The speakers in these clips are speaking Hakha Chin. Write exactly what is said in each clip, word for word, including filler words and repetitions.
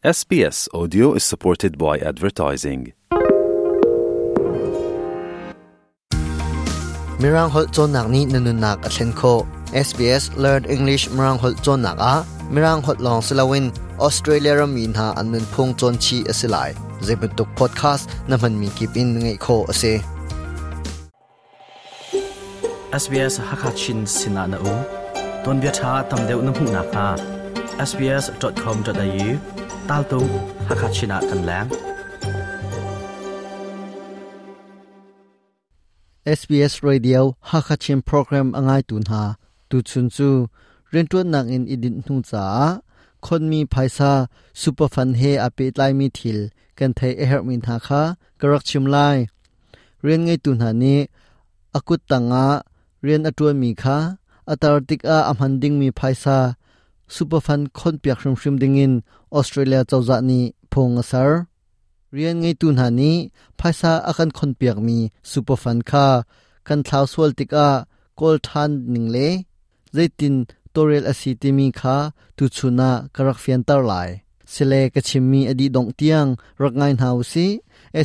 S B S Audio is supported by advertising. Mirang holh cawnnak nih na nunnak a thlen khawh. S B S Learn English Mirang holh cawnnak ah Mirang holh lawng si loin Australia rammi hna an nunphung cawn chih a si lai. Zeibantuk podcast na hmanmi kip in ngaih khawh a si. S B S Hakachin Sinah na um, ton bia tha tam deuh na hmuh nak hnga S B S dot com dot A U tal tu Hakachin ah kan lang. S B S Radio Hakachin program angai tu hna, tu chun chu riantuan nak in idin hnu cha khonmi phaisa super fund he ape tlai mi thil kan thei a her min tha kha karak chim lai. Rian ngei tu hna ni akut tanga rian atuan mi kha atar tik a amhan ding mi phaisa super fund khon piak hrim hrim ding in Australia chawza ni phong asar. Rian ngei tu hna ni phaisa akan khon piak mi super fund kha kan thlau sual tika kol than ning le zaitin torel asi ti mi kha tu chuna karak fian tar lai. Sile ka chimmi adi dong tiang rak ngai hau si.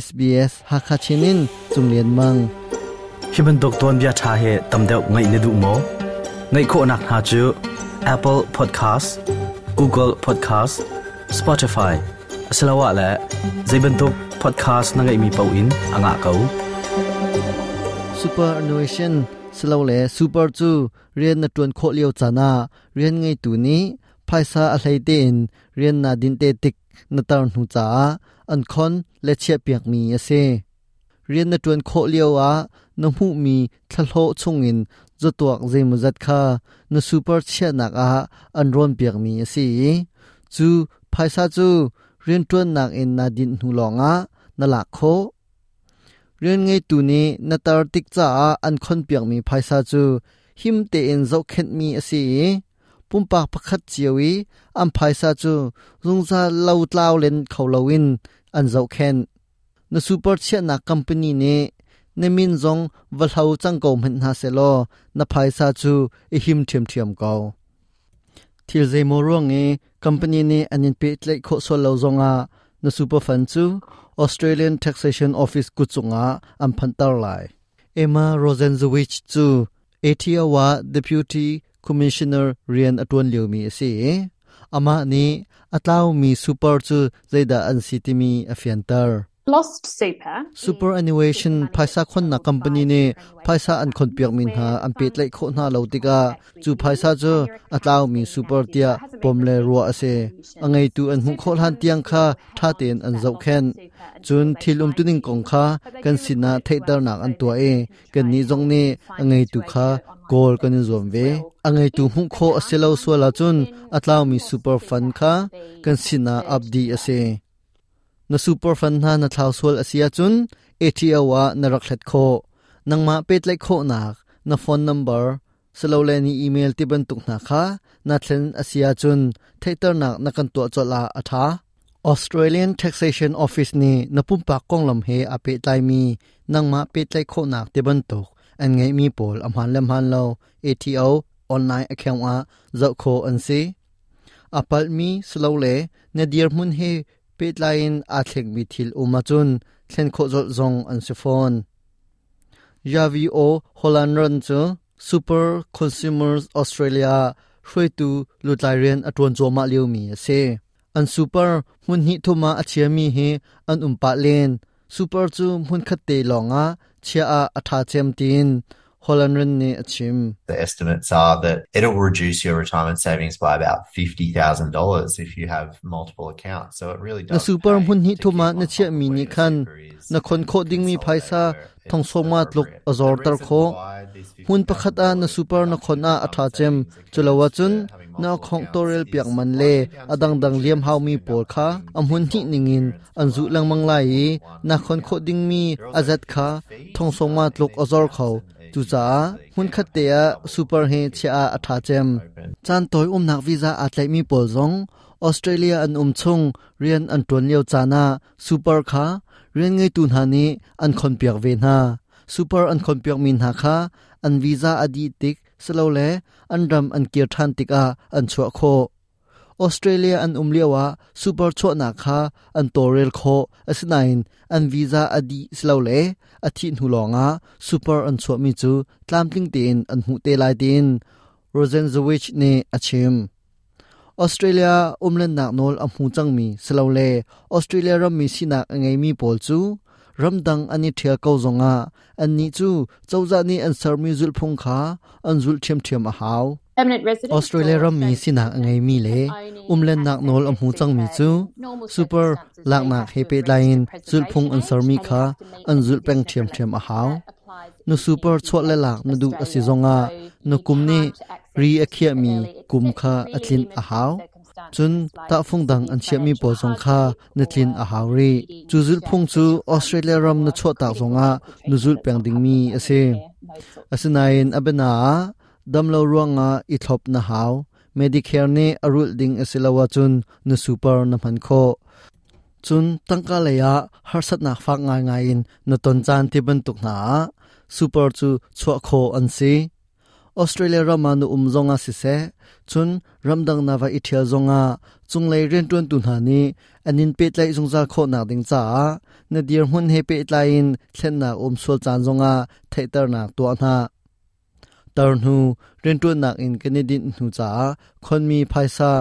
S B S Hakachinin Chunglian Mang. Hi bantuk ton bia tha he tam deuh ngai ne du mo ngai kho nak ha chu Apple Podcast, Google Podcast, Spotify asalawa la zeibantuk podcast na ngai mi pau in anga kau. Superannuation silo le super chu rian na tuan kho liao chana rian ngei tu ni phaisa a hlei te in rian na din te tik na tar hnu cha an khon le chia piak mi ase. Rian na tuan kho liao a na mu mi thlalho chungin zatuak zeimuzat kha na super chia nak a an ron piak mi ase. Chu phaisa chu rian tuan nak in na din hnu longa na lak kho. Rian ngei tu ni na tar tik cha a an khon piak mi phaisa chu him te in zo khet mi ase. Pumpak pakhat chiawi am phaisa chu zungza lo tlaw len kholowin an zo khen. Na super chia na company ne na min zong va hlo chang ko mhen na se lo, na phaisa chu i him thiam thiam ko. Thil zeimo ruang e company ne anin pe tlai kho so lo zonga na super fund chu Australian Taxation Office kuchunga am phantar lai. Emma Rosenzowicz chu A T O wa Deputy Commissioner rian atun liumi ase. Ama ni atlaw mi super chu zaida an sitimi afiantar. Lost super. Superannuation phaisa khon na company ne phaisa an khon piak min ha an pe tlai kho na lo tika chu phaisa chu atlaw mi super tia pomle ruwa ase. Angai tu an hu khol han tiang kha tha ten an zau khen chun thil um tuning kong kha kan sina theitar nak an tua e. Kan ni zong ni angai tu kha kol kan zom ve. Angai tu hu kho aselo suala chun atlaw mi super fund kha kan sina abdi ase. Na super fund na na thlau sual asia chun A T O wa na rak thlet kho. Nangma pet lai kho nak na phone number selo le ni email ti ban tuk na kha na thlen asia chun theitar nak na kan to chola atha. Australian Taxation Office ni na pumpak konglam he ape tlai mi nangma pe tlai kho nak te ban tuk an ngai mi pol amhan lem han lo A T O online account a zau kho an si. Apal mi slo le na dir mun he pe tlain a thlek mi thil uma chun thlen kho zol zong an si phone. Javi O Holland chu Super Consumers Australia hruaitu lutlai rian atuan choma liu mi ase. An super mun hi thuma achia mi hi an umpa len. Super chu mun khat te longa chia a atha chem tin Holland ni achim. The estimates are that it'll reduce your retirement savings by about fifty thousand dollars if you have multiple accounts. So it really Na does super pay mun hi to thuma keep na on chia top of mi where ni your khan super is na and khon kho ding mi consolidate phaisa where it's thong soma tluk appropriate. Azor The tar reason kho why this hun pakhat a na fifty thousand dollars super na khon a reduction in atha chem savings accounts chulawa chun for having na multiple khong accounts torel piak is man le largely down to adang dang liam insurance hau mi end up pol kha having amhun hi default ningin insurance an zu provided lang mang lai more than one na khon kho account. ding mi There are also azat kha fees thong soma uh, in tluk these azor accounts kho and chu you cha basically hun can khat te a double super he if chia a atha chem. open. Chan toy um nak visa a tlai mi pol zong Australia an um chung rian an ton leo chana super kha rian ngei tu na ni an khon piak ve na. Super an khon piak min ha kha an visa adi tik slo le an ram an kir than tik a an chua kho. Australia an um lioah super chuahnak kha an tawlrel khawh. Asinain an visa a dih silole a thih hnu lawngah super an chuahmi cu tlamtling tein an hmuh te lai tiin Rosenzweig nih a chim. Australia umlennak nawl a hmu cangmi silole Australia rammi sinak a ngeimi pawl cu ramdang an i ṭhial ko zongah annih cu cozah nih an sermi zulhphung kha an zulh ṭhiamṭhiam a hau. Australia rammi sinak a ngeimi le umlennak nawl a hmu cangmi cu super laknak he pehtlai in zulhphung an sermi kha an zulh peng ṭhiamṭhiam a hau. Na super chuah le lak na duh a si zongah na kum nih ri a khiahmi kum kha a tlinh a hau. Cun tahfung dang an chiahmi pawl zong kha na tlin a hau rih. Cu zulhphung cu Australia ram na chuahtak zongah na zulh peng dingmi a si. Asinain a biana ah damlo ruangah i thlop na hau. Medicare nih a rulh ding a si lo ahcun na super na hman khawh. Cun tangka lei ah harsatnak fak ngaingai in na ton caan ti bantuk hna ah super cu chuah khawh an si. Australia ram ah na um zongah siseh, cun ramdang na va i ṭhial zongah cunglei rianṭuantu hna nih an in pehtlaih zungzal khawhnak ding caah na dirhmun he pehtlai in thlennak um sual caan zongah theihternak tuah hna. Tar hnu rianṭuannak in kan i dinh hnu caah khonmi phaisa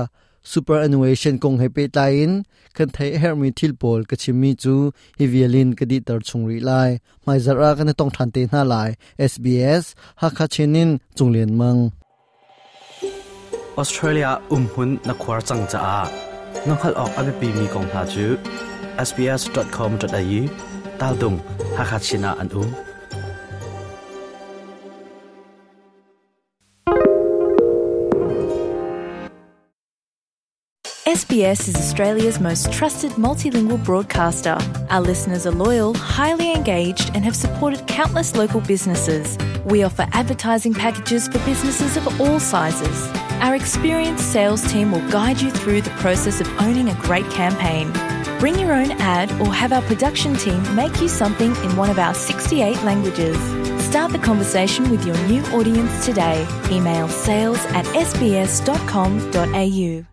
superannuation kong he pehtlai in kan theih a herhmi thil pawl ka chimmi cu hi vial in ka dihter chung rih lai. Hmaizarh ah kan i tong ṭhan te hna lai. S B S Hakha Chin in Cung Lian Mang. Australia umhmun na khuar cang caah na hngalh awk a biapimi kong hna cu S B S dot com dot A U tal dung Hakha Chin ah an um. S B S is Australia's most trusted multilingual broadcaster. Our listeners are loyal, highly engaged, and have supported countless local businesses. We offer advertising packages for businesses of all sizes. Our experienced sales team will guide you through the process of owning a great campaign. Bring your own ad or have our production team make you something in one of our sixty-eight languages. Start the conversation with your new audience today. Email sales at S B S dot com dot A U.